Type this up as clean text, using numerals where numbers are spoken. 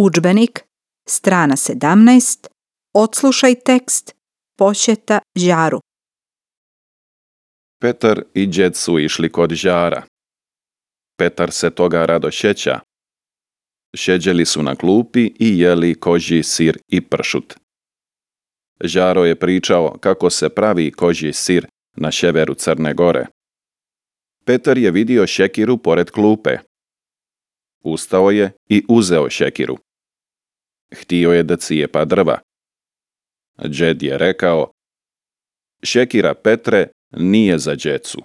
Udžbenik, strana 17, odslušaj tekst, posjeta Žaru. Petar i džed su išli kod Žara. Petar se toga rado sjeća. Sjeđeli su na klupi i jeli kožji sir i pršut. Žaro je pričao kako se pravi kožji sir na sjeveru Crne Gore. Petar je vidio šekiru pored klupe. Ustao je i uzeo šekiru. Htio je da cijepa drva. Džed je rekao: "Šekira, Petre, nije za djecu."